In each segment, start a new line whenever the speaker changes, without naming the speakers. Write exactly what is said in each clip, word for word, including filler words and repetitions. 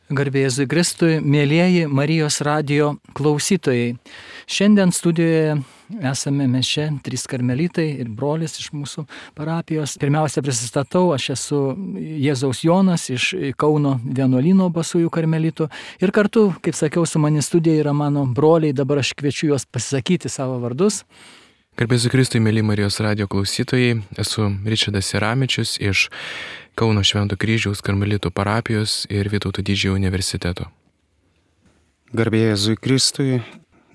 Garbė Jėzui Kristui, mėlyjeji Marijos radijo klausytojai. Šiandien studijoje esame mes čia, trys karmelitai ir brolis iš mūsų parapijos. Pirmiausia prisistatau, aš esu Jėzaus Jonas iš Kauno vienuolyno Basųjų karmelitų. Ir kartu, kaip sakiau, su mani studijoje yra mano broliai, dabar aš kviečiu juos pasisakyti savo vardus.
Garbė Jėzui Kristui, mėly Marijos radijo klausytojai, esu Ričardas Jaramičius iš Kauno Švento Kryžiaus karmelitų parapijos ir Vytauto Didžiojo universiteto.
Garbė Jėzui Kristui,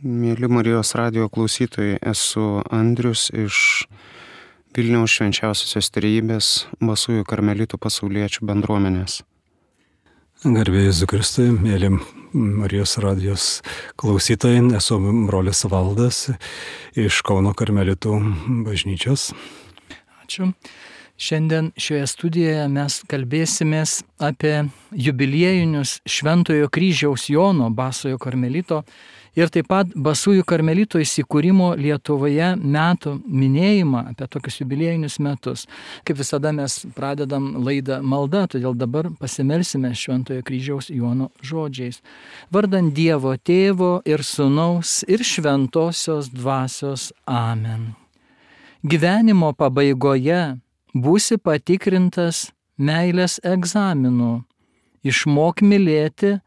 mėly Marijos radijo klausytojai, esu Andrius iš Vilniaus Švenčiausiosios Trejybės Basųjų karmelitų pasauliečių bendruomenės.
Garbė Jėzui Kristui, mėly Marijos radijos klausytojai, esu brolis Valdas iš Kauno karmelitų bažnyčios.
Ačiū. Šiandien šioje studijoje mes kalbėsimės apie jubiliejinius Šventojo Kryžiaus Jono Basojo karmelito ir taip pat Basųjų karmelito įsikūrimo Lietuvoje metų minėjimą, apie tokius jubiliejinius metus. Kaip visada mes pradedam laidą malda, todėl dabar pasimelsime Šventojo Kryžiaus Jono žodžiais. Vardan Dievo Tėvo ir Sūnaus ir Šventosios Dvasios. Amen. Gyvenimo pabaigoje būsi patikrintas meilės egzaminu. Išmok mylėti,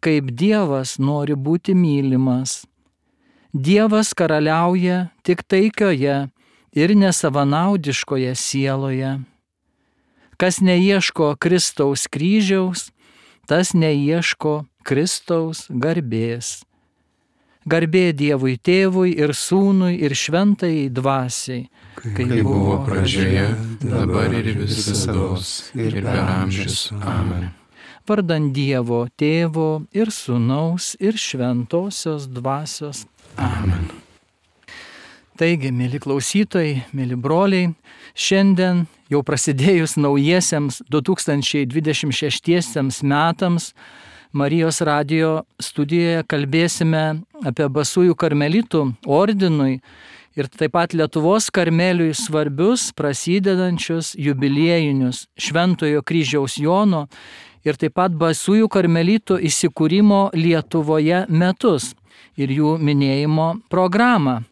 kaip Dievas nori būti mylimas. Dievas karaliauja tik taikioje ir nesavanaudiškoje sieloje. Kas neieško Kristaus kryžiaus, tas neieško Kristaus garbės. Garbė Dievui Tėvui ir Sūnui ir Šventajai Dvasiai,
kaip buvo pradžioje, dabar ir visados, ir per amžius. Amen.
Vardan Dievo Tėvo ir Sūnaus ir Šventosios Dvasios. Amen. Taigi, mėly klausytojai, mėly broliai, šiandien jau prasidėjus naujiesiems du tūkstančiai dvidešimt šeštiesiems metams, Marijos radijo studijoje kalbėsime apie Basųjų karmelitų ordinui ir taip pat Lietuvos karmeliui svarbius prasidedančius jubiliejinius Šventojo Kryžiaus Jono ir taip pat Basųjų karmelitų įsikūrimo Lietuvoje metus ir jų minėjimo programą.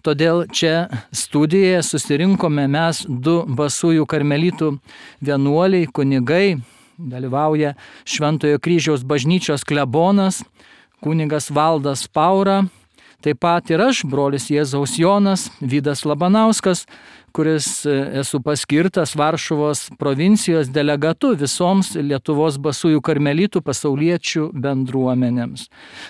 Todėl čia studijoje susirinkome mes du Basųjų karmelitų vienuoliai, kunigai. Dalyvauja Šventojo Kryžiaus bažnyčios klebonas, kunigas Valdas Paura, taip pat ir aš, brolis Jėzaus Jonas, Vydas Labanauskas, kuris esu paskirtas Varšuvos provincijos delegatu visoms Lietuvos Basųjų karmelitų pasauliečių bendruomenėms.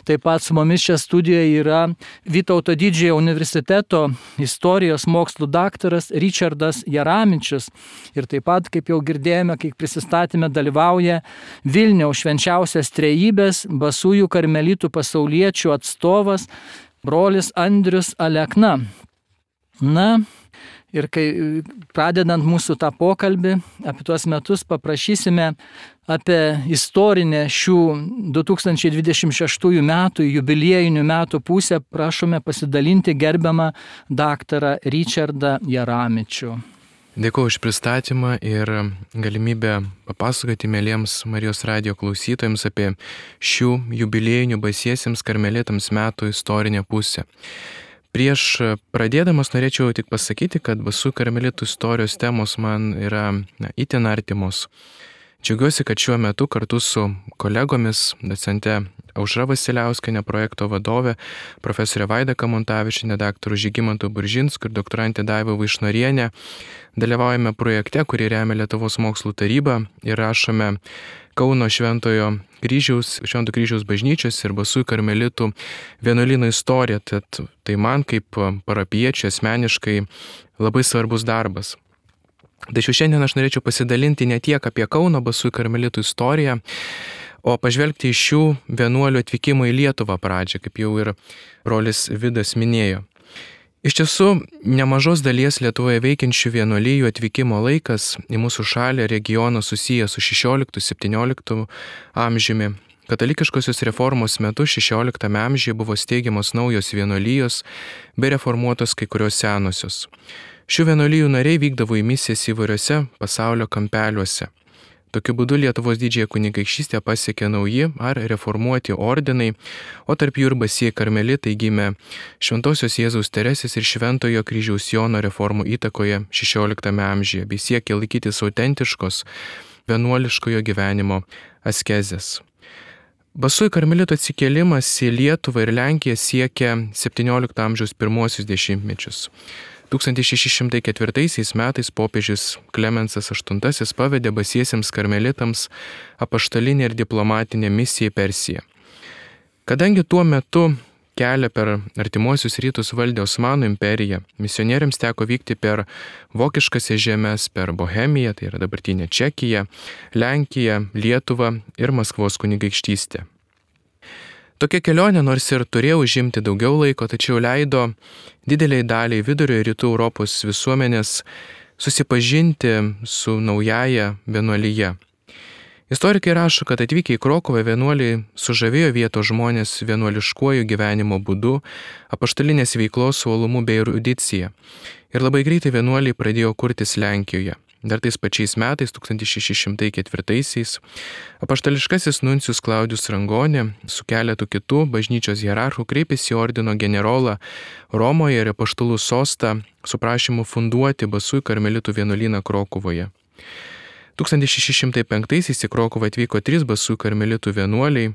Taip pat su mumis čia studijoje yra Vytauto Didžiojo universiteto istorijos mokslų daktaras Ričardas Jaramičius ir taip pat, kaip jau girdėjome, kai prisistatėme, dalyvauja Vilniaus Švenčiausios Trejybės Basųjų karmelitų pasauliečių atstovas brolis Andrius Alekna. Na, ir kai pradedant mūsų tą pokalbį apie tuos metus, paprašysime apie istorinę šių du tūkstančiai dvidešimt šeštųjų metų jubiliejinių metų pusę, prašome pasidalinti gerbiamą daktarą Ričardą Jaramičių.
Dėkuoju už pristatymą ir galimybę papasakoti mėlyjams Marijos radijo klausytojams apie šių jubiliejinių basiesiems karmelitams metų istorinę pusę. Prieš pradėdamas norėčiau tik pasakyti, kad Basųjų karmelitų istorijos temos man yra na, itin artimos. Džiaugiuosi, kad šiuo metu kartu su kolegomis, docente Aušra Vasiliauskienė, projekto vadovė, profesorė Vaida Kamontavičienė, daktaru Žygimantu Buržinsku ir doktorantė Daiva Vaišnorienė dalyvaujame projekte, kurį remia Lietuvos mokslų taryba ir rašome Kauno Šventojo Kryžiaus, Švento Kryžiaus bažnyčios ir Basųjų karmelitų vienuolyno istoriją. Tad tai man kaip parapiečiui asmeniškai labai svarbus darbas. Tačiau šiandien aš norėčiau pasidalinti ne tiek apie Kauno Basųjų karmelitų istoriją, o pažvelgti iš šių vienuolių atvykimo į Lietuvą pradžią, kaip jau ir brolis Vidas minėjo. Iš tiesų, nemažos dalies Lietuvoje veikiančių vienuolijų atvykimo laikas į mūsų šalį regioną susijęs su šešioliktu septynioliktu amžiumi. Katalikiškosios reformos metu šešioliktame amžiuje buvo steigiamos naujos vienuolijos bei reformuotos kai kurios senosios. Šių vienuolijų nariai vykdavo į misijas įvairiose pasaulio kampeliuose. Tokiu būdu Lietuvos didžiąją kunigaikštystę pasiekė nauji ar reformuoti ordinai, o tarp jų ir basieji karmelitai gimė Šventosios Jėzaus Teresės ir Šventojo Kryžiaus Jono reformų įtakoje šešioliktame amžiuje, bei siekė laikytis autentiškos vienuoliškojo gyvenimo askezės. Basųjų karmelitų atsikėlimas į Lietuvą ir Lenkiją siekia septyniolikto amžiaus pirmuosius dešimtmečius. tūkstantis šeši šimtai ketvirtaisiais metais popiežius Klemensas aštuntasis pavedė basiesiems karmelitams apaštalinę ir diplomatinę misiją į Persiją. Kadangi tuo metu kelią per artimuosius rytus valdė Osmanų imperija, misionieriams teko vykti per vokiškasias žemes, per Bohemiją, tai yra dabartinė Čekija, Lenkiją, Lietuvą ir Maskvos kunigaikštystę. Tokia kelionė nors ir turėjo užimti daugiau laiko, tačiau leido dideliai daliai vidurio ir rytų Europos visuomenės susipažinti su naujaja vienuolyje. Istorikai rašo, kad atvykę į Krokuvą vienuoliai sužavėjo vietos žmonės vienuoliškuoju gyvenimo būdu, apaštalinės veiklos uolumu bei erudicija. Ir labai greitai vienuoliai pradėjo kurtis Lenkijoje. Dar tais pačiais metais, tūkstantis šeši šimtai ketvirtaisiais, apaštališkasis nuncijus Klaudijus Rangonė su keletu kitų bažnyčios hierarchų kreipėsi į ordino generolą Romoje ir apaštalų sostą su prašymu funduoti basųjų karmelitų vienuolyną Krokuvoje. tūkstantis šeši šimtai penktaisiais į Krokuvą atvyko trys basųjų karmelitų vienuoliai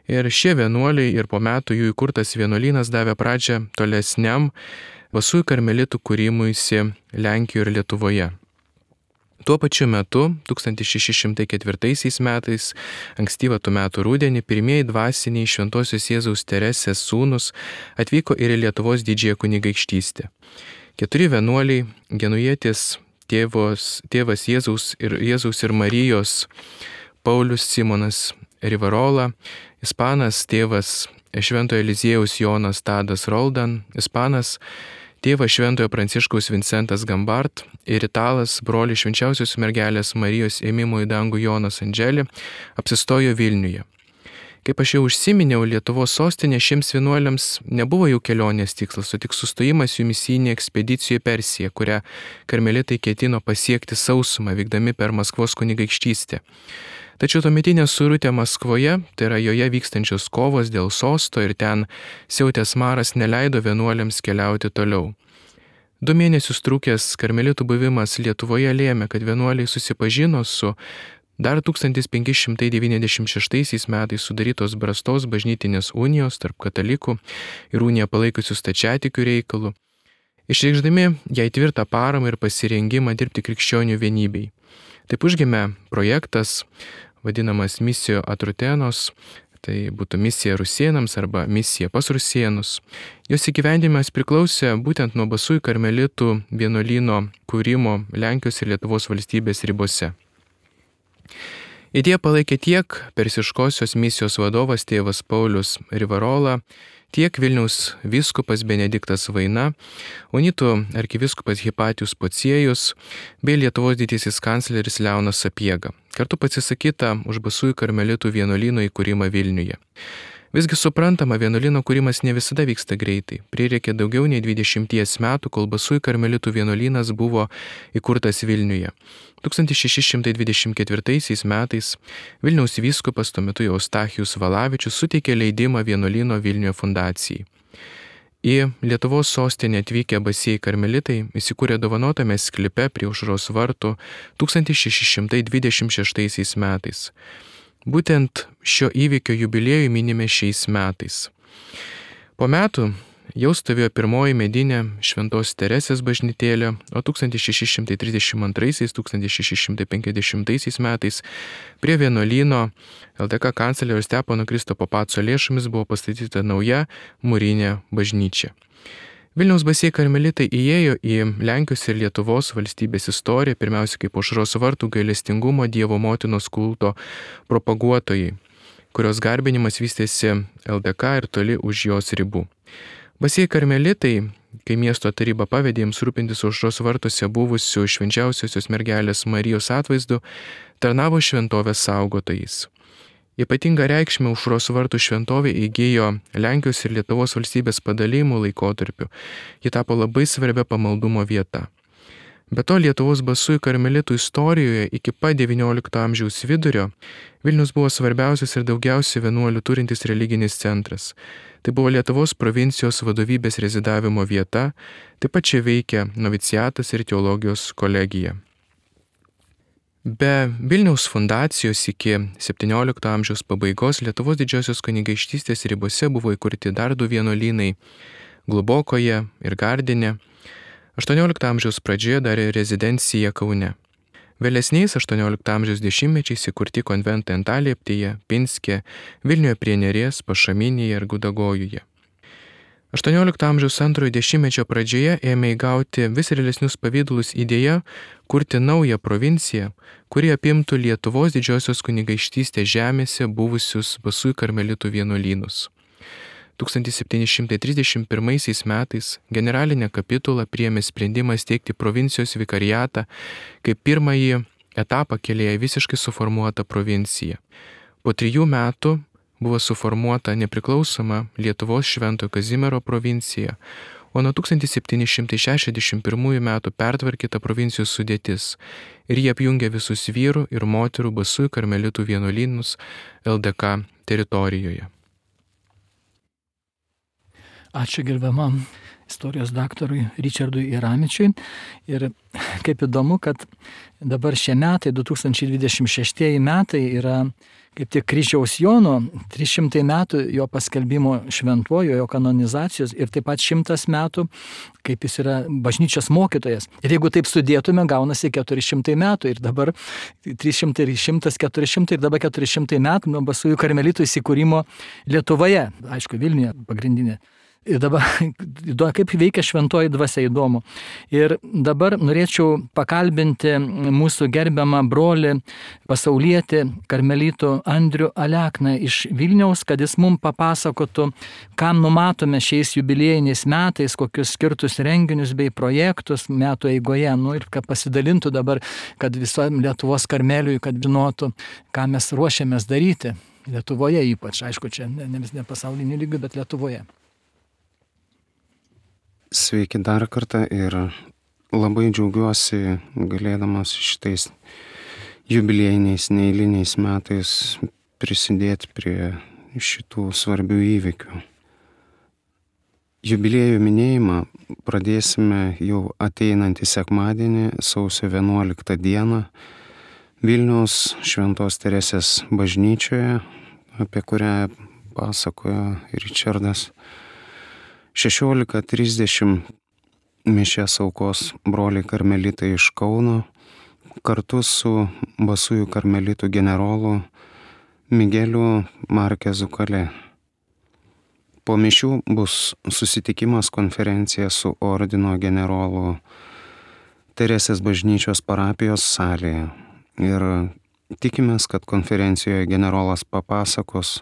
ir šie vienuoliai ir po metų jų įkurtas vienuolynas davė pradžią tolesniam basųjų karmelitų kūrimuisi Lenkijoje ir Lietuvoje. Tuo pačiu metu, tūkstantis šeši šimtai ketvirtaisiais metais, ankstyvą tų metų rudenį, pirmieji dvasiniai Šventosios Jėzaus Teresės sūnus atvyko ir į Lietuvos didžiąją kunigaikštystę. Keturi vienuoliai, genujietis tėvos, tėvas Jėzaus ir, Jėzaus ir Marijos, Paulius Simonas Rivarola, ispanas tėvas Šventojo Eliziejaus Jonas Tadas Roldan, ispanas tėvas Šventojo Pranciškaus Vincentas Gambart ir italas brolis Švenčiausios mergelės Marijos ėmimo į dangų Jonas Andželė apsistojo Vilniuje. Kaip aš jau užsiminiau, Lietuvos sostinė šiems vienuoliams nebuvo jau kelionės tikslas, o tik sustojimas jų misijinė ekspedicija į Persiją, kurią karmelitai ketino pasiekti sausumą, vykdami per Maskvos kunigaikštystę. Tačiau tuometinė suirutė Maskvoje, tai yra joje vykstančios kovos dėl sosto ir ten siautęs maras neleido vienuoliams keliauti toliau. Du mėnesius trukęs karmelitų buvimas Lietuvoje lėmė, kad vienuoliai susipažino su dar tūkstantis penki šimtai devyniasdešimt šeštaisiais metais sudarytos Brastos bažnytinės unijos tarp katalikų ir uniją palaikusių stačiatikių reikalų, išreikšdami jai tvirtą paramą ir pasirengimą dirbti krikščionių vienybei. Taip užgimė projektas, vadinamas Misijo Atrutenos, tai būtų misija rusėnams arba misija pas rusėnus. Jos įgyvendinimas priklausė būtent nuo basųjų karmelitų vienuolyno kūrimo Lenkijos ir Lietuvos valstybės ribose. Idėją palaikė tiek persiškosios misijos vadovas tėvas Paulius Rivarola, tiek Vilniaus vyskupas Benediktas Vaina, unitų arkivyskupas Hipatijus Pociejus bei Lietuvos didysis kancleris Leonas Sapiega. Kartu pasisakyta už basųjų karmelitų vienuolyno įkūrimą Vilniuje. Visgi suprantama, vienuolyno kūrimas ne visada vyksta greitai. Prireikė daugiau nei dvidešimties metų, kol basųjų karmelitų vienuolynas buvo įkurtas Vilniuje. tūkstantis šeši šimtai dvidešimt ketvirtaisiais metais Vilniaus vyskupas, tuo metu Eustachijus Valavičius, suteikė leidimą vienuolyno Vilniuje fundacijai. Į Lietuvos sostinę atvykę basieji karmelitai įsikūrė dovanotame sklype prie Aušros vartų tūkstantis šeši šimtai dvidešimt šeštaisiais metais. Būtent šio įvykio jubiliejų minime šiais metais. Po metų jau stovėjo pirmoji medinė Šventos Teresės bažnytėlė, o tūkstantis šeši šimtai trisdešimt antraisiais - tūkstantis šeši šimtai penkiasdešimtaisiais metais prie vienuolyno L D K kanclerio Stepono Kristupo Paco lėšomis buvo pastatyta nauja mūrinė bažnyčia. Vilniaus basieji karmelitai įėjo į Lenkijos ir Lietuvos valstybės istoriją pirmiausia kaip Aušros vartų gailestingumo Dievo motinos kulto propaguotojai, kurios garbinimas vystėsi L D K ir toli už jos ribų. Basieji karmelitai, kai miesto taryba pavedė jiems rūpintis Aušros vartuose buvusių švenčiausiosios mergelės Marijos atvaizdu, tarnavo šventovės saugotojais. Ypatingą reikšmę Aušros vartų šventovė įgijo Lenkijos ir Lietuvos valstybės padalijimų laikotarpiu. Ji tapo labai svarbia pamaldumo vieta. Be to Lietuvos basųjų karmelitų istorijoje iki pat devyniolikto amžiaus vidurio Vilnius buvo svarbiausias ir daugiausiai vienuolių turintis religinis centras. Tai buvo Lietuvos provincijos vadovybės rezidavimo vieta, taip pat čia veikia noviciatas ir teologijos kolegija. Be Vilniaus fundacijos iki septyniolikto amžiaus pabaigos Lietuvos didžiosios kunigaikštystės ribose buvo įkurti dar du vienuolynai – Globokoje ir Gardine. aštuoniolikto amžiaus pradžioje dar rezidencija Kaune. Vėlesniais aštuoniolikto amžiaus dešimtmečiais įkurti konventai Antalieptėje, Pinske, Vilniuje prie Neries, Pašaminėje ir Gudagojuje. aštuoniolikto amžiaus antrojo dešimtmečio pradžioje ėmė įgauti vis realesnius pavydalus idėja kurti naują provinciją, kuri apimtų Lietuvos didžiosios kunigaikštystės žemėse buvusius basųjų karmelitų vienuolynus. tūkstantis septyni šimtai trisdešimt pirmaisiais metais generalinė kapitula priėmė sprendimą steigti provincijos vikariatą kaip pirmąjį etapą kelyje visiškai suformuotą provinciją. Po trijų metų buvo suformuota nepriklausoma Lietuvos Šventojo Kazimiero provincija, o nuo tūkstantis septyni šimtai šešiasdešimt pirmųjų metų pertvarkyta provincijos sudėtis ir jie apjungė visus vyrų ir moterų basųjų karmelitų vienuolynus L D K teritorijoje.
Ačiū gerbiamam istorijos daktarui Ričardui Iramičiui. Ir kaip įdomu, kad dabar šie metai, du tūkstančiai dvidešimt šeštieji metai, yra kaip tik kryžiaus Jono, trys šimtai metų jo paskelbimo šventuoju, jo kanonizacijos ir taip pat šimtas metų, kaip jis yra bažnyčios mokytojas. Ir jeigu taip sudėtume, gaunasi keturi šimtai metų ir dabar trys šimtai, šimtas, keturi šimtai ir dabar keturi šimtai metų nuo basųjų karmelitų įsikūrimo Lietuvoje, aišku, Vilniuje pagrindinė. Ir dabar, kaip veikia šventoji dvasia, įdomu. Ir dabar norėčiau pakalbinti mūsų gerbiamą brolį pasaulietį karmelitų Andrių Alekną iš Vilniaus, kad jis mums papasakotų, kam numatome šiais jubiliejiniais metais, kokius skirtus renginius bei projektus metų eigoje. Nu, ir kad pasidalintų dabar, kad visom Lietuvos karmeliui, kad žinotų, ką mes ruošiamės daryti. Lietuvoje ypač, aišku, čia ne, ne, ne pasauliniu lygiu, bet Lietuvoje.
Sveiki dar kartą ir labai džiaugiuosi galėdamas šitais jubiliejiniais, neeiliniais metais prisidėti prie šitų svarbių įvykių. Jubiliejų minėjimą pradėsime jau ateinantį sekmadienį, sausio vienuoliktą dieną, Vilniaus Šventos Teresės bažnyčioje, apie kurią pasakojo Ričardas. šešiolika trisdešimt mišias aukos broliai karmelitai iš Kauno kartu su basųjų karmelitų generolu Migeliu Markezu Kale. Po mišių bus susitikimas konferencija su ordino generolu Teresės bažnyčios parapijos salėje. Ir tikimės, kad konferencijoje generolas papasakos,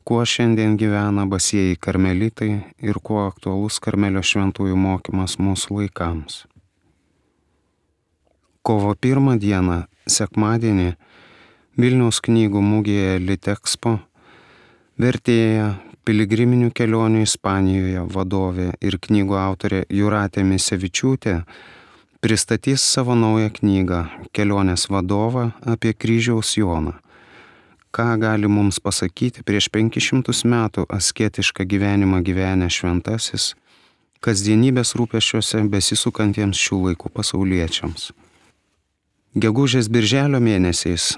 kuo šiandien gyvena basieji karmelitai ir kuo aktualus karmelio šventųjų mokymas mūsų laikams. Kovo pirmą dieną, sekmadienį, Vilniaus knygų mugėje Litexpo vertėja, piligriminių kelionių Ispanijoje vadovė ir knygų autorė Jūratė Misevičiūtė pristatys savo naują knygą Kelionės vadovą apie kryžiaus Joną. Ką gali mums pasakyti prieš penkis šimtus metų asketišką gyvenimą gyvenę šventasis, kasdienybės rūpesčiuose besisukantiems šių laikų pasauliečiams. Gegužės birželio mėnesiais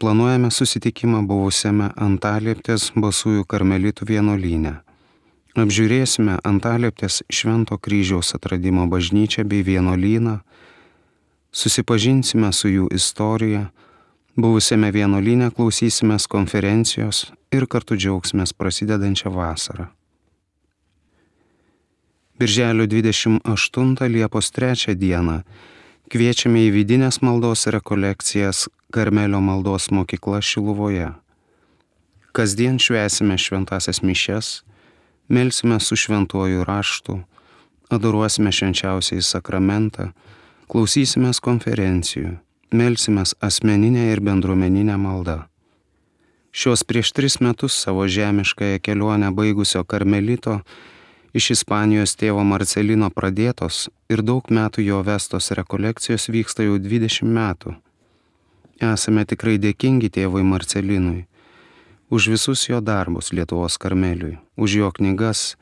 planuojame susitikimą buvusiame Antalieptės basųjų karmelitų vienuolyne. Apžiūrėsime Antalieptės Švento kryžiaus atradimo bažnyčią bei vienuolyną, susipažinsime su jų istorija, buvusiame vienuolyne klausysimės konferencijos ir kartu džiaugsimės prasidedančią vasarą. Birželio dvidešimt aštuntą Liepos trečią dieną kviečiame į vidinės maldos rekolekcijas Karmelio maldos mokykla Šiluvoje. Kasdien švęsime šventasias mišias, melsime su šventuoju raštu, adoruosime švenčiausiąjį sakramentą, klausysimės konferencijų, melsimės asmeninę ir bendruomeninę maldą. Šios prieš tris metus savo žemiškąją kelionę baigusio karmelito Iš Ispanijos tėvo Marcelino pradėtos ir daug metų jo vestos rekolekcijos vyksta jau dvidešimt metų. Esame tikrai dėkingi tėvui Marcelinui už visus jo darbus Lietuvos Karmeliui, už jo knygas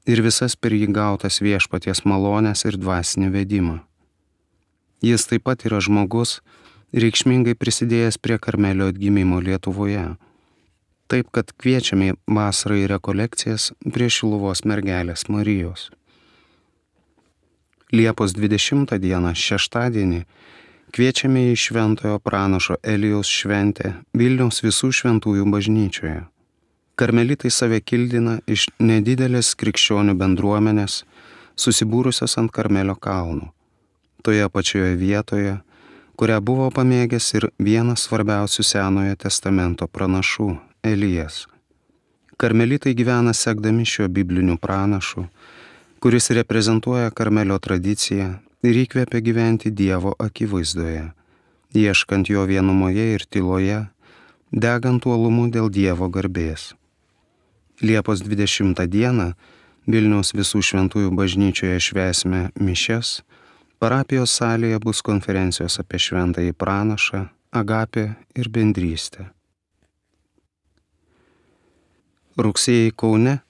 ir visas per jį gautas viešpaties malonės ir dvasinį vedimą. Jis taip pat yra žmogus, reikšmingai prisidėjęs prie Karmelio atgimimo Lietuvoje. Taip, kad kviečiame vasarą į rekolekcijas prie Šiluvos mergelės Marijos. Liepos dvidešimtą dieną, šeštadienį, kviečiame į šventojo pranašo Elijaus šventę Vilniaus visų šventųjų bažnyčioje. Karmelitai save kildina iš nedidelės krikščionių bendruomenės, susibūrusios ant Karmelio kalnų. Toje pačioje vietoje, kurią buvo pamėgęs ir vienas svarbiausių Senojo testamento pranašų – Elijas. Karmelitai gyvena sekdami šiuo bibliniu pranašu, kuris reprezentuoja Karmelio tradiciją ir įkvepia gyventi Dievo akivaizdoje, ieškant jo vienumoje ir tyloje, degant uolumu dėl Dievo garbės. Liepos dvidešimtą dieną Vilniaus visų šventųjų bažnyčioje švęsime mišias, parapijos salėje bus konferencijos apie šventąjį pranašą, agapę ir bendrystę. Rugsėjį Kaune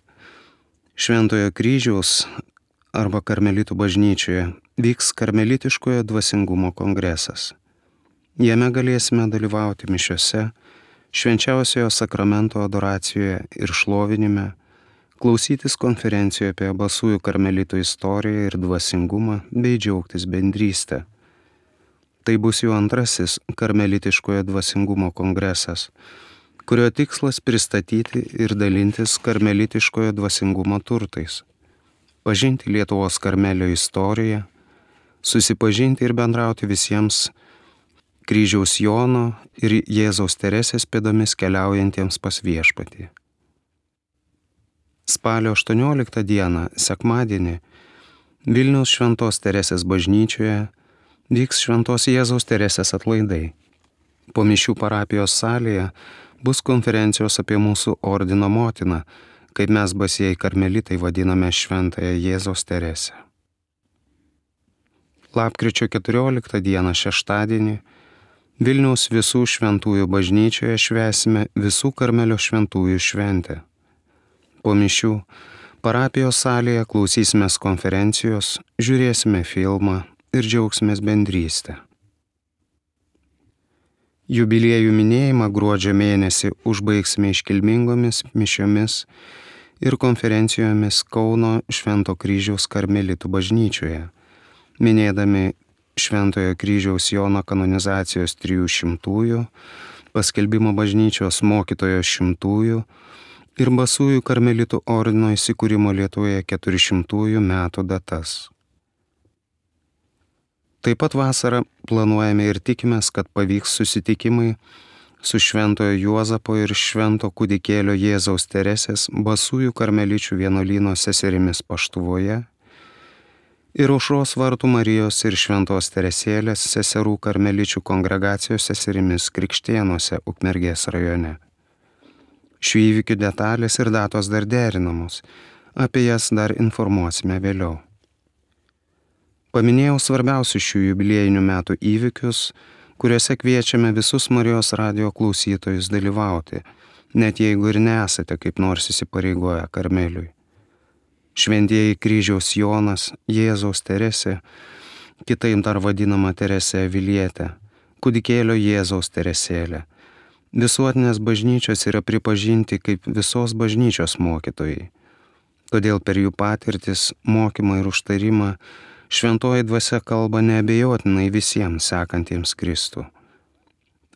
Šventojo kryžiaus arba Karmelitų bažnyčioje vyks karmelitiškojo dvasingumo kongresas. Jame galėsime dalyvauti mišiose, švenčiausiojo sakramento adoracijoje ir šlovinime, klausytis konferencijoje apie basųjų karmelitų istoriją ir dvasingumą bei džiaugtis bendrystę. Tai bus jau antrasis karmelitiškojo dvasingumo kongresas, kurio tikslas pristatyti ir dalintis karmelitiškojo dvasingumo turtais, pažinti Lietuvos Karmelio istoriją, susipažinti ir bendrauti visiems kryžiaus Jono ir Jėzaus Teresės pėdomis keliaujantiems pas viešpatį. Spalio aštuonioliktą dieną, sekmadienį, Vilniaus Šventos Teresės bažnyčioje vyks Šventos Jėzaus Teresės atlaidai. Po mišių parapijos salėje bus konferencijos apie mūsų ordino motiną, kaip mes basieji karmelitai vadiname Šventąją Jėzaus Teresę. Lapkričio keturioliktą dieną, šeštadienį, Vilniaus visų šventųjų bažnyčioje švęsime visų Karmelio šventųjų šventę. Po mišių parapijos salėje klausysimės konferencijos, žiūrėsime filmą ir džiaugsimės bendrystę. Jubiliejų minėjimą gruodžio mėnesį užbaigsime iškilmingomis mišiomis ir konferencijomis Kauno Švento kryžiaus Karmelitų bažnyčioje, minėdami Šventojo kryžiaus Jono kanonizacijos trijų šimtųjų, paskelbimo bažnyčios mokytojo šimtųjų ir basųjų Karmelitų ordino įsikūrimo Lietuvoje keturišimtųjų metų datas. Taip pat vasarą planuojame ir tikimės, kad pavyks susitikimai su Šventojo Juozapo ir Švento kūdikėlio Jėzaus Teresės basųjų karmeličių vienuolyno seserimis Paštuvoje ir Aušros vartų Marijos ir Šventos Teresėlės seserų karmeličių kongregacijos seserimis Krikštėnuose, Ukmergės rajone. Šių įvykių detalės ir datos dar derinamos, apie jas dar informuosime vėliau. Paminėjau svarbiausius šių jubiliejinių metų įvykius, kuriuose kviečiame visus Marijos radijo klausytojus dalyvauti, net jeigu ir nesate kaip nors įsipareigoję Karmeliui. Šventieji kryžiaus Jonas, Jėzaus Teresė, kitaip dar vadinama Teresė Avilietė, kūdikėlio Jėzaus Teresėlė. Visuotinės bažnyčios yra pripažinti kaip visos bažnyčios mokytojai. Todėl per jų patirtis, mokymą ir užtarimą Šventoji dvasia kalba neabejotinai visiems sekantiems Kristų.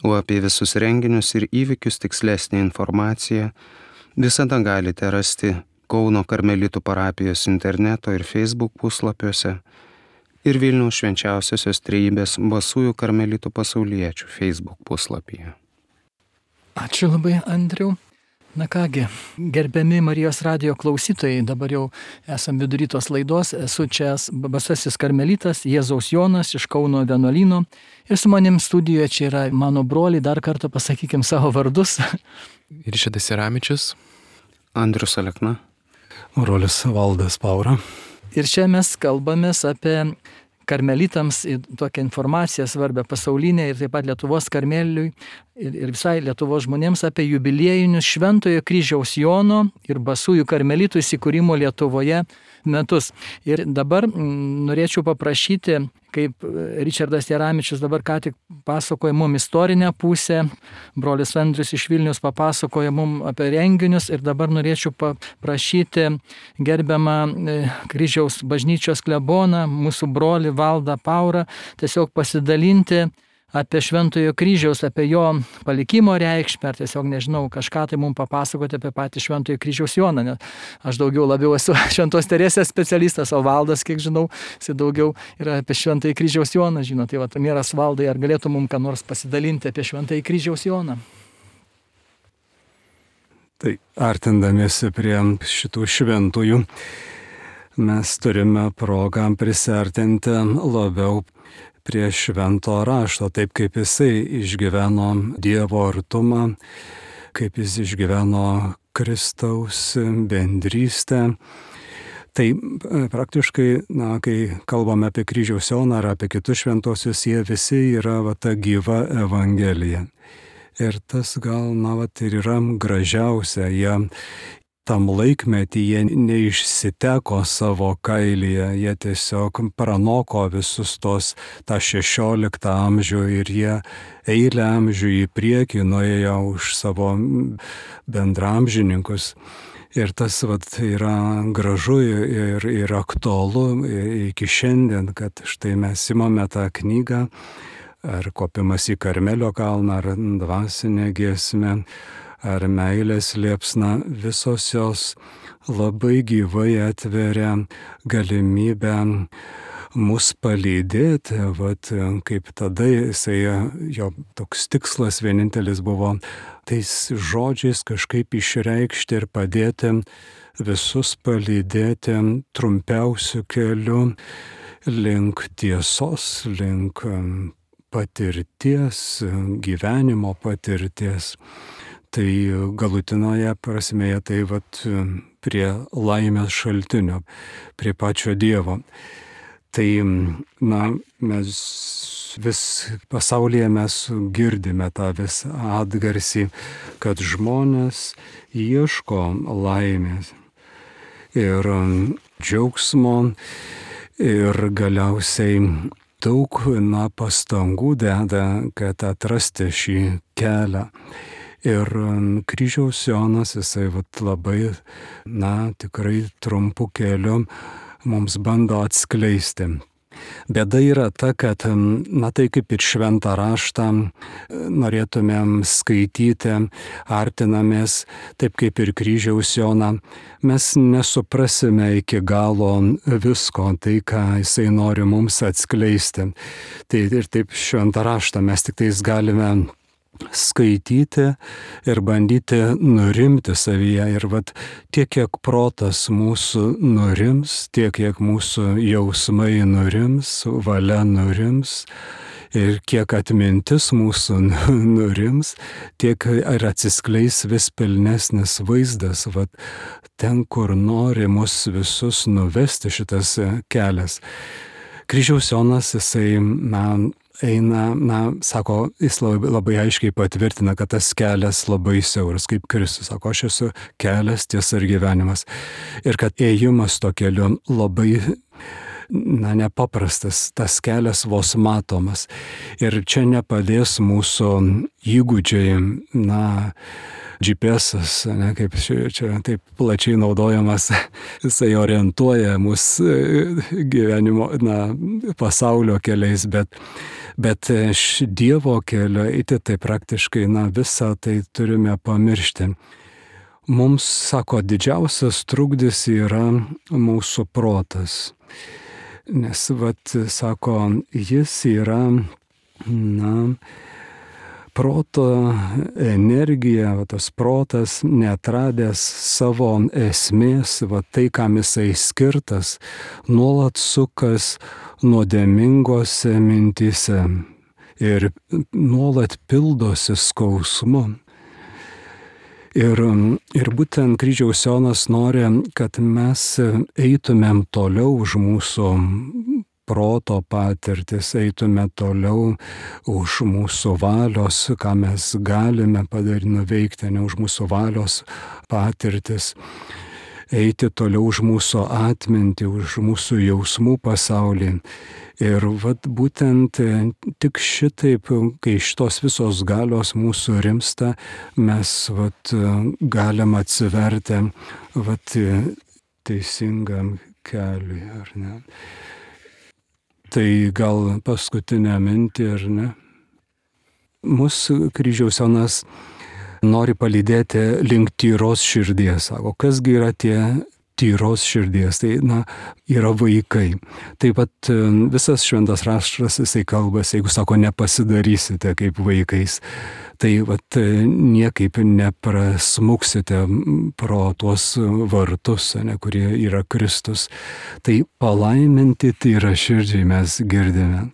O apie visus renginius ir įvykius tikslesnė informacija visada galite rasti Kauno Karmelitų parapijos interneto ir Facebook puslapiuose ir Vilniaus Švenčiausiosios Trejybės basųjų Karmelitų pasauliečių Facebook puslapyje.
Ačiū labai, Andriau. Na kągi, gerbiami Marijos radijo klausytojai, dabar jau esam vidury tos laidos, esu čia basasis karmelitas Jėzaus Jonas iš Kauno vienuolyno ir su manim studijoje čia yra mano broliai, dar kartą pasakykim savo vardus.
Ričardas Iramičius.
Andrius Alekna.
Brolis Valdas Paura.
Ir čia mes kalbamės apie karmelitams tokią informaciją svarbę pasaulinę ir taip pat Lietuvos karmeliui ir, ir visai Lietuvos žmonėms apie jubiliejinius Šventojo Kryžiaus Jono ir Basųjų karmelitų įsikūrimo Lietuvoje metus. Ir dabar norėčiau paprašyti, kaip Ričardas Jaramičius dabar ką tik pasakoja mum istorinę pusę, brolis Andrius iš Vilnius papasakoja mum apie renginius ir dabar norėčiau paprašyti gerbiamą Kryžiaus bažnyčios kleboną, mūsų brolį Valdą Paurą, tiesiog pasidalinti apie Šventojo Kryžiaus, apie jo palikimo reikšmę, ar tiesiog, nežinau, kažką tai mums papasakoti apie patį Šventojo Kryžiaus Joną, nes aš daugiau labiau esu Šventos Teresės specialistas, o Valdas, kiek žinau, jis daugiau yra apie Šventojo Kryžiaus Joną, žino, tai va, Mieras Valdai, ar galėtų mums ką nors pasidalinti apie Šventojo Kryžiaus Joną?
Tai artindamiesi prie šitų šventųjų, mes turime progą prisartinti labiau prie švento rašto, taip kaip jisai išgyveno Dievo artumą, kaip jis išgyveno Kristaus bendrystę. Tai praktiškai, na, kai kalbame apie Kryžiaus Joną ar apie kitus šventosius, jie visi yra va, ta gyva Evangelija. Ir tas gal, na, va, ir yra gražiausia, jie tam laikmetį jie neišsiteko savo kailyje, jie tiesiog pranoko visus tos tą šešioliktą amžių ir jie eilę amžių į priekį nuėjo už savo bendramžininkus. Ir tas vat, yra gražu ir, ir aktualu iki šiandien, kad štai mes imame tą knygą, ar kopimas į Karmelio kalną, ar dvasinę giesmę, ar meilės liepsna, visos jos labai gyvai atveria galimybę mus palydėti, vat, kaip tada jisai, jo toks tikslas vienintelis buvo tais žodžiais kažkaip išreikšti ir padėti visus palydėti trumpiausiu keliu link tiesos, link patirties, gyvenimo patirties. Tai galutinoje prasmėje tai vat prie laimės šaltinio, prie pačio Dievo. Tai, na, mes vis pasaulyje mes girdime tą vis atgarsį, kad žmonės ieško laimės ir džiaugsmo ir galiausiai daug, na, pastangų deda, kad atrasti šį kelią. Ir Kryžiaus Jonas, jisai vat, labai, na, tikrai trumpu keliu mums bando atskleisti. Bėda yra ta, kad, na, tai kaip ir šventą raštą norėtumėm skaityti, artinamės, taip kaip ir Kryžiaus Joną, mes nesuprasime iki galo visko, tai ką jisai nori mums atskleisti. Tai ir taip šventą raštą mes tik tais galime skaityti ir bandyti nurimti savyje. Ir vat tiek, kiek protas mūsų nurims, tiek, kiek mūsų jausmai nurims, valia nurims, ir kiek atmintis mūsų nurims, tiek ir atsiskleis vis pilnesnis vaizdas, vat ten, kur nori mus visus nuvesti šitas kelias. Kryžiaus Jonas, jisai, na, eina, na, sako, jis labai, labai aiškiai patvirtina, kad tas kelias labai siauras, kaip Kristus sako, aš esu kelias, tiesa ir gyvenimas. Ir kad ėjimas to keliu labai, na, nepaprastas, tas kelias vos matomas. Ir čia nepadės mūsų įgūdžiai, na, G P S-as, ne, kaip čia, čia taip plačiai naudojamas, jisai orientuoja mus gyvenimo, na, pasaulio keliais, bet Bet Dievo kelio eiti tai praktiškai, na, visą tai turime pamiršti. Mums, sako, didžiausias trukdis yra mūsų protas. Nes, vat, sako, jis yra, na, proto energija, va, tas protas neatradęs savo esmės, va, tai, kam jisai skirtas, nuolat sukas nuodėmingose mintyse ir nuolat pildosi skausmu. Ir, ir būtent kryžiaus Jonas nori, kad mes eitumėm toliau už mūsų proto patirtis, eitume toliau už mūsų valios, ką mes galime padaryti, nuveikti, ne už mūsų valios patirtis, eiti toliau už mūsų atmintį, už mūsų jausmų pasaulį. Ir vat būtent tik šitaip, kai šitos visos galios mūsų rimsta, mes vat galim atsiverti vat teisingam keliui, ar ne? Tai gal paskutinę mintį, ar ne? Mūsų kryžiaus Jonas nori palydėti link tyros širdies. Sako, kasgi yra tie tyros širdies? Tai, na, yra vaikai. Taip pat visas šventas raštas, jisai kalbas, jeigu sako, nepasidarysite kaip vaikais, tai vat niekaip neprasmuksite pro tuos vartus, ne, kurie yra Kristus. Tai palaiminti tyra širdžiai mes girdime.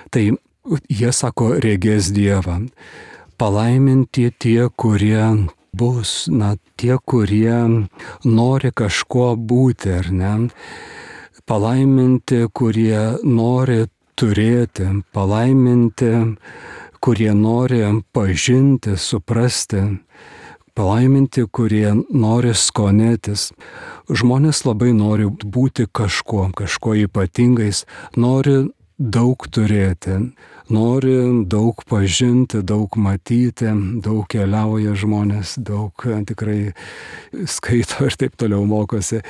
Tai jie sako, regės Dievą. Palaiminti tie, kurie bus, na, tie, kurie nori kažkuo būti, ar ne? Palaiminti, kurie nori turėti, palaiminti, kurie nori pažinti, suprasti, palaiminti, kurie nori skonėtis. Žmonės labai nori būti kažkuo, kažkuo ypatingais, nori daug turėti, nori daug pažinti, daug matyti, daug keliauja žmonės, daug tikrai skaito ir taip toliau mokosi.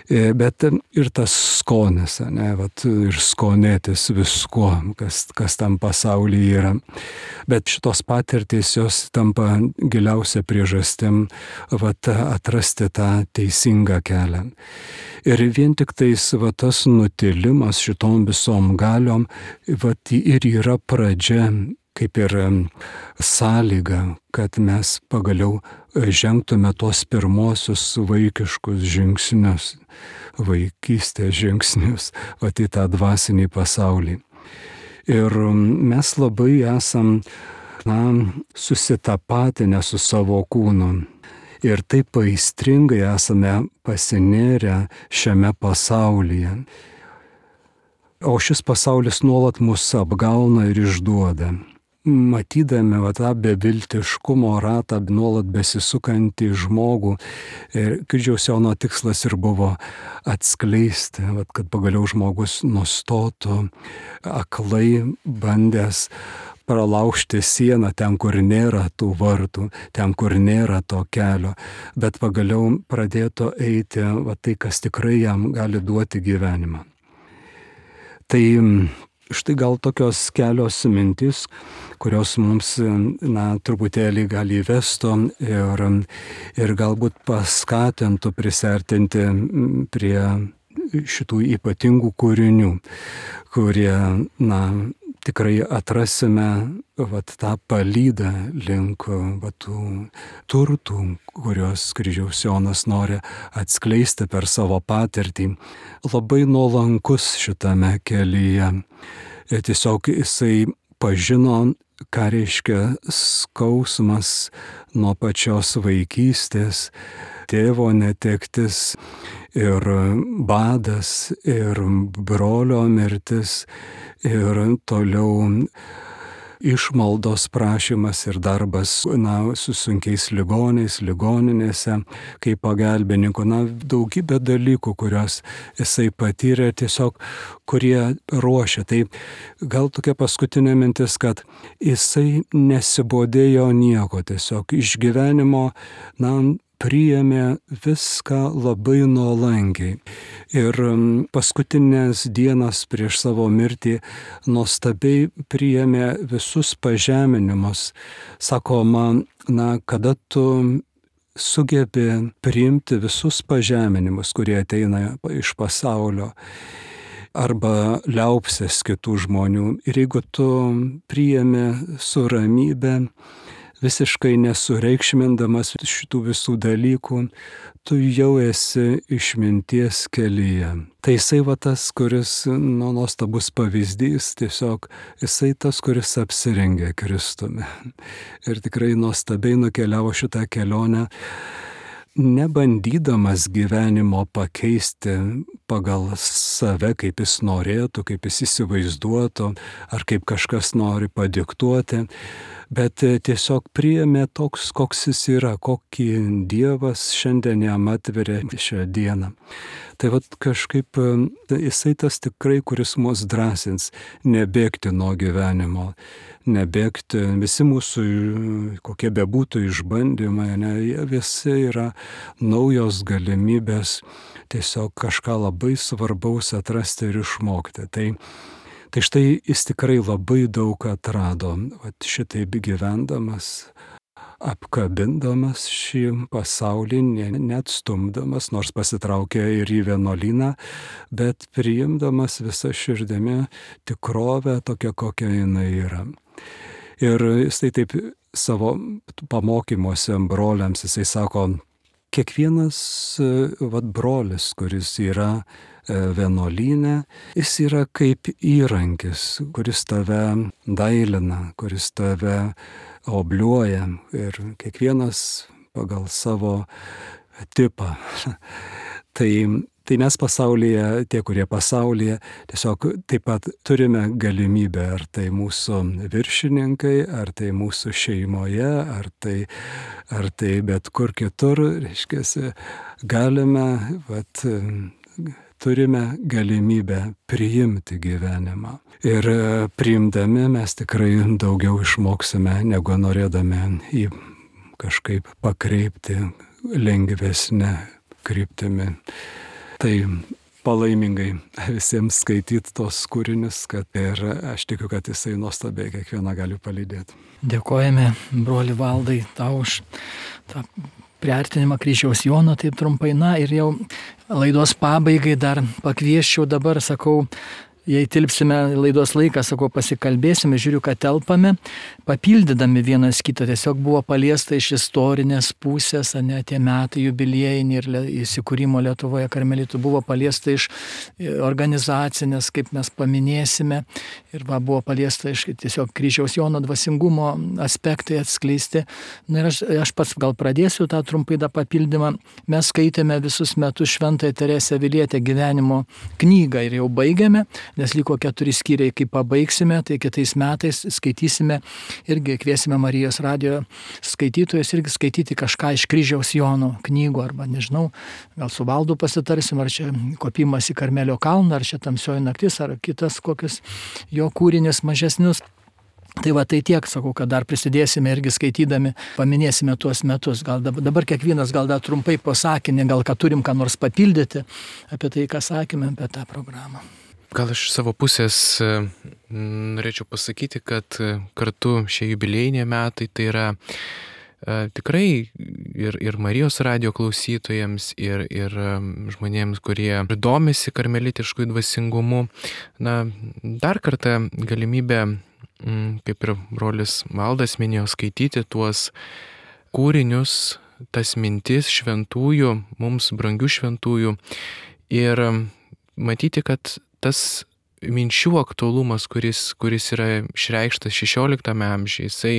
Bet ir tas skonis, ne, vat, ir skonėtis viskuo, kas, kas tam pasaulyje yra. Bet šitos patirtys jos tampa giliausia priežastim vat, atrasti tą teisingą kelią. Ir vien tik tais vat, tas nutilimas šitom visom galiom vat, ir yra pradžia, kaip ir sąlyga, kad mes pagaliau žengtume tos pirmosius vaikiškus žingsnius, vaikystės žingsnius, vat, į tą dvasinį pasaulį. Ir mes labai esam, na, susitapatinę su savo kūnu. Ir taip aistringai esame pasinėrę šiame pasaulyje. O šis pasaulis nuolat mus apgauna ir išduoda. Matydami va, tą beviltiškumo ratą nuolat besisukantį žmogų, ir kryžiaus Jono tikslas ir buvo atskleisti, va, kad pagaliau žmogus nustotų aklai bandęs pralaužti sieną ten, kur nėra tų vartų, ten, kur nėra to kelio, bet pagaliau pradėtų eiti va, tai, kas tikrai jam gali duoti gyvenimą. Tai štai gal tokios kelios mintis, kurios mums, na, truputėlį gali įvestų ir, ir galbūt paskatintų prisertinti prie šitų ypatingų kūrinių, kurie, na, tikrai atrasime vat, tą palydą link vat, tų turtų, kurios kryžiaus Jonas nori atskleisti per savo patirtį. Labai nuolankus šitame kelyje. Ir tiesiog jisai pažino, ką reiškia skausmas nuo pačios vaikystės, tėvo netektis ir badas, ir brolio mirtis, ir toliau išmaldos prašymas ir darbas, na, su sunkiais ligoniais, ligoninėse, kaip pagalbininkų, na, daugybė dalykų, kurios jisai patyrė, tiesiog, kurie ruošia. Tai gal tokia paskutinė mintis, kad jisai nesibodėjo nieko, tiesiog iš gyvenimo, na, priėmė viską labai nuolankiai. Ir paskutinės dienas prieš savo mirtį nuostabiai priėmė visus pažeminimus. Sako man, na, kada tu sugebi priimti visus pažeminimus, kurie ateina iš pasaulio, arba liaupsės kitų žmonių. Ir jeigu tu priėmi su ramybė visiškai nesureikšmindamas šitų visų dalykų, tu jau esi išminties kelyje. Tai jisai va tas, kuris, nu, nuostabus pavyzdys, tiesiog jisai tas, kuris apsirengė Kristumi. Ir tikrai nuostabiai nukeliavo šitą kelionę, nebandydamas gyvenimo pakeisti pagal save, kaip jis norėtų, kaip jis įsivaizduotų, ar kaip kažkas nori padiktuoti, bet tiesiog priėmė toks, koks jis yra, kokį Dievas šiandien jam atveria šią dieną. Tai vat kažkaip jisai tas tikrai, kuris mus drąsins nebėgti nuo gyvenimo, nebėgti, visi mūsų, kokie bebūtų išbandymai, ne, jie visi yra naujos galimybės tiesiog kažką labai svarbaus atrasti ir išmokti. Tai, tai štai jis tikrai labai daug atrado, vat šitaip gyvendamas, apkabindamas šį pasaulį, net stumdamas, nors pasitraukė ir į vienuolyną, bet priimdamas visą širdimi tikrovę tokią, kokia jinai yra. Ir jisai taip savo pamokymuose broliams, jisai sako, kiekvienas vat, brolis, kuris yra vienuolyne, jis yra kaip įrankis, kuris tave dailina, kuris tave obliuoja ir kiekvienas pagal savo tipą. tai, tai mes pasaulyje, tie, kurie pasaulyje, tiesiog taip pat turime galimybę, ar tai mūsų viršininkai, ar tai mūsų šeimoje, ar tai, ar tai bet kur kitur, reiškia, galime, vat, turime galimybę priimti gyvenimą. Ir priimdami mes tikrai daugiau išmoksime, negu norėdami jį kažkaip pakreipti lengvesnę kryptimi. Tai palaimingai visiems skaityti tos kūrinius, kad ir aš tikiu, kad jisai nuostabiai kiekvieną gali palydėti.
Dėkojame, broli Valdai, tau už tą priartinimą kryžiaus Jono, taip trumpai. Na ir jau laidos pabaigai dar pakvieščiau dabar, sakau, jei tilpsime laidos laiką, sakau, pasikalbėsime, žiūriu, kad telpame, papildydami vienas kitą, tiesiog buvo paliesta iš istorinės pusės, ne tie metai jubiliejiniai ir įsikūrimo Lietuvoje karmelitų, buvo paliesta iš organizacinės, kaip mes paminėsime, ir va, buvo paliesta iš tiesiog kryžiaus Jono dvasingumo aspektai atskleisti. Na ir aš, aš pats gal pradėsiu tą trumpai tą papildymą. Mes skaitėme visus metus Šventąją Teresę Avilietę gyvenimo knygą ir jau baigėme, nes liko keturi skyriai, kai pabaigsime, tai kitais metais skaitysime, irgi kviesime Marijos radijo skaitytojus irgi skaityti kažką iš kryžiaus Jono knygų, arba nežinau, gal su Valdu pasitarsim, ar čia kopimas į Karmelio kalną, ar čia Tamsioji naktis, ar kitas kokius jo kūrinius mažesnius. Tai va, tai tiek, sakau, kad dar prisidėsime irgi skaitydami, paminėsime tuos metus. Gal dabar, dabar kiekvienas gal dar trumpai po sakinį, gal kad turim ką nors papildyti apie tai, ką sakėme apie tą programą.
Gal iš savo pusės norėčiau pasakyti, kad kartu šie jubiliejiniai metai tai yra tikrai ir, ir Marijos radijo klausytojams, ir, ir žmonėms, kurie domisi karmelitiškų dvasingumu. Na, dar kartą galimybę, kaip ir brolis Valdas minėjo, skaityti tuos kūrinius, tas mintis šventųjų, mums brangių šventųjų, ir matyti, kad tas minčių aktualumas, kuris, kuris yra išreikštas šešioliktame amžiuje, jisai,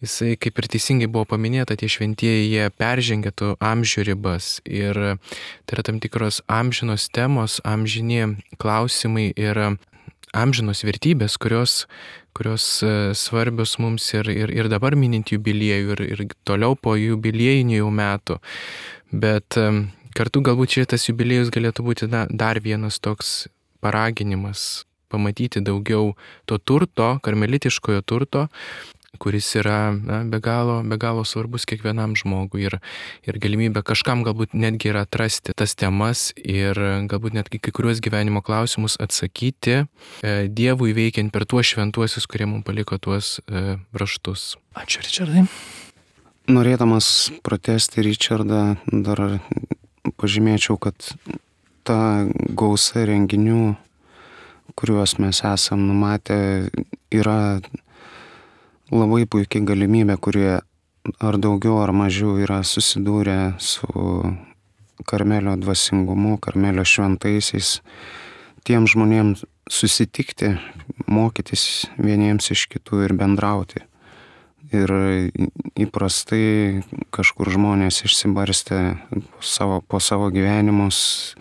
jisai, kaip ir teisingai buvo paminėta, tie šventieji, jie peržengia tų amžių ribas. Ir tai yra tam tikros amžinos temos, amžini klausimai ir amžinos vertybės, kurios, kurios svarbios mums ir, ir, ir dabar minint jubiliejų, ir, ir toliau po jubiliejinių jau metų. Bet kartu galbūt šitas jubiliejus galėtų būti na, dar vienas toks paraginimas pamatyti daugiau to turto, karmelitiškojo turto, kuris yra na, be galo, be galo svarbus kiekvienam žmogui, ir, ir galimybė kažkam galbūt netgi yra atrasti tas temas ir galbūt netgi kai kuriuos gyvenimo klausimus atsakyti e, Dievui veikiant per tuos šventuosius, kurie mums paliko tuos e, raštus.
Ačiū, Ričardai.
Norėdamas pratęsti Ričardą, dar pažymėčiau, kad ta gausa renginių, kuriuos mes esam numatę, yra labai puikia galimybė, kurie ar daugiau ar mažiau yra susidūrę su Karmelio dvasingumu, Karmelio šventaisiais, tiem žmonėms susitikti, mokytis vieniems iš kitų ir bendrauti. Ir įprastai kažkur žmonės išsibarstę po savo, po savo gyvenimus,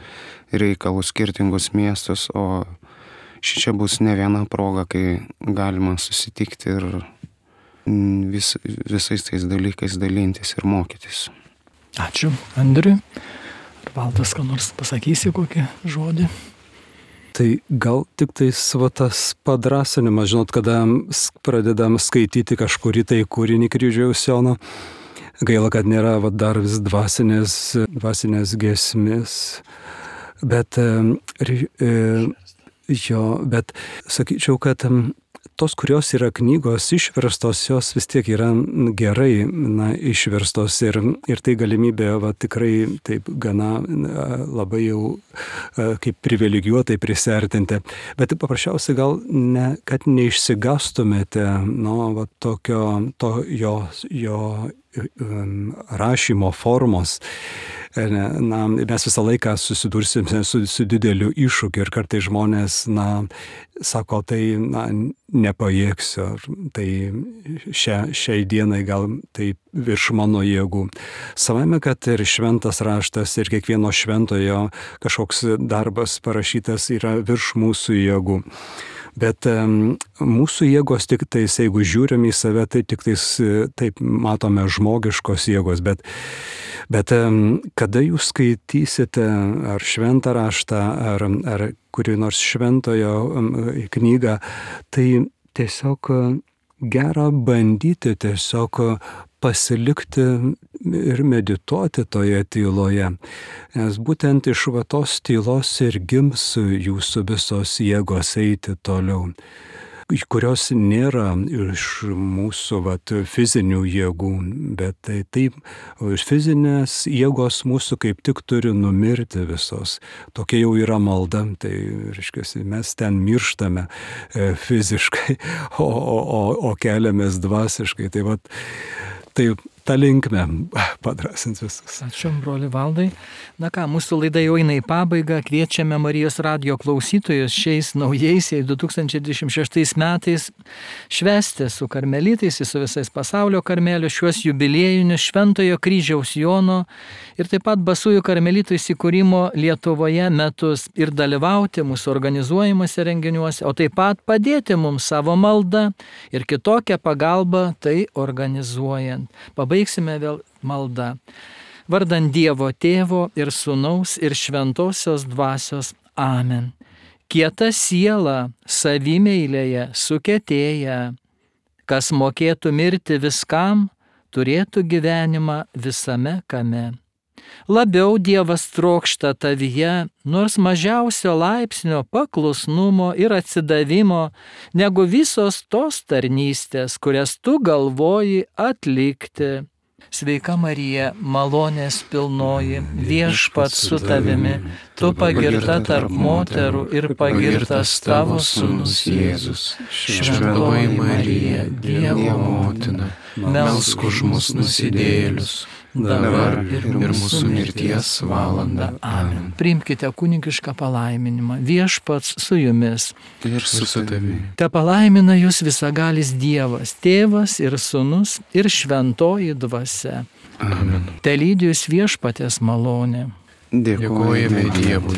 reikalus, skirtingus miestus, o šičia bus ne viena proga, kai galima susitikti ir vis, visais tais dalykais dalintis ir mokytis.
Ačiū, Andriui. Ar Valdas, ką nors pasakysi kokį žodį?
Tai gal tik tais va, tas padrasinimas, žinot, kada pradedam skaityti kažkurį tai kūrinį kryžiaus Jono, gaila, kad nėra va, dar vis dvasinės, dvasinės giesmės, bet, e, jo, bet sakyčiau, kad tos, kurios yra knygos išverstos, jos vis tiek yra gerai na, išverstos ir, ir tai galimybė va, tikrai taip gana labai jau kaip privilegijuotai prisertinti. Bet paprasčiausiai gal, ne, kad neišsigastumėte nu, va, tokio to jo, jo rašymo formos. Na, mes visą laiką susidursime su, su dideliu iššūkiu ir kartai žmonės, na, sako, tai, na, nepajėgsiu, tai šia, šiai dienai gal tai virš mano jėgų. Savame, kad ir šventas raštas ir kiekvieno šventojo kažkoks darbas parašytas yra virš mūsų jėgų. Bet um, mūsų jėgos tik tais, jeigu žiūrim į save, tai tik tais taip matome žmogiškos jėgos, bet, bet um, kada jūs skaitysite ar šventą raštą, ar, ar kurį nors šventojo um, knygą, tai tiesiog gera bandyti tiesiog pasilikti ir medituoti toje tyloje. Nes būtent iš va tos tylos ir gims jūsų visos jėgos eiti toliau, kurios nėra iš mūsų vat, fizinių jėgų, bet tai taip, fizinės jėgos mūsų kaip tik turi numirti visos. Tokia jau yra malda, tai reiškia, mes ten mirštame e, fiziškai, o, o, o, o keliamės dvasiškai. Tai vat, tai tą linkmę padrasins visus.
Ačiū, broli Valdai. Na ką, mūsų laida jau eina į pabaigą. Kviečiame Marijos radijo klausytojus šiais naujaisiais du tūkstančiai dvidešimt šeštais metais švęsti su karmelitais, su visais pasaulio karmelių šiuos jubiliejinius Šventojo kryžiaus Jono ir taip pat Basųjų karmelitų įsikūrimo Lietuvoje metus ir dalyvauti mūsų organizuojimuose renginiuose, o taip pat padėti mums savo maldą ir kitokią pagalbą tai organizuojant. Pabaigsime vėl maldą. Vardant Dievo Tėvo ir Sūnaus ir Šventosios Dvasios. Amen. Kieta siela savimeilėje sukietėja, kas mokėtų mirti viskam, turėtų gyvenimą visame kame. Labiau Dievas trokšta tavyje, nors mažiausio laipsnio paklusnumo ir atsidavimo, negu visos tos tarnystės, kurias tu galvoji atlikti. Sveika Marija, malonės pilnoji, Viešpats su tavimi, tu pagirta tarp moterų ir pagirtas tavo sūnus Jėzus.
Šventoji Marija, Dievo motina, melsk už mus nusidėjėlius, dabar ir, ir mūsų mirties valanda. Amen.
Priimkite kunigišką palaiminimą. Viešpats su jumis.
Ir su tavimi.
Te palaimina jūs visagalis Dievas, Tėvas ir Sūnus ir Šventoji Dvasia.
Amen.
Te lydi jūs Viešpaties malonė.
Dėkojame Dievui.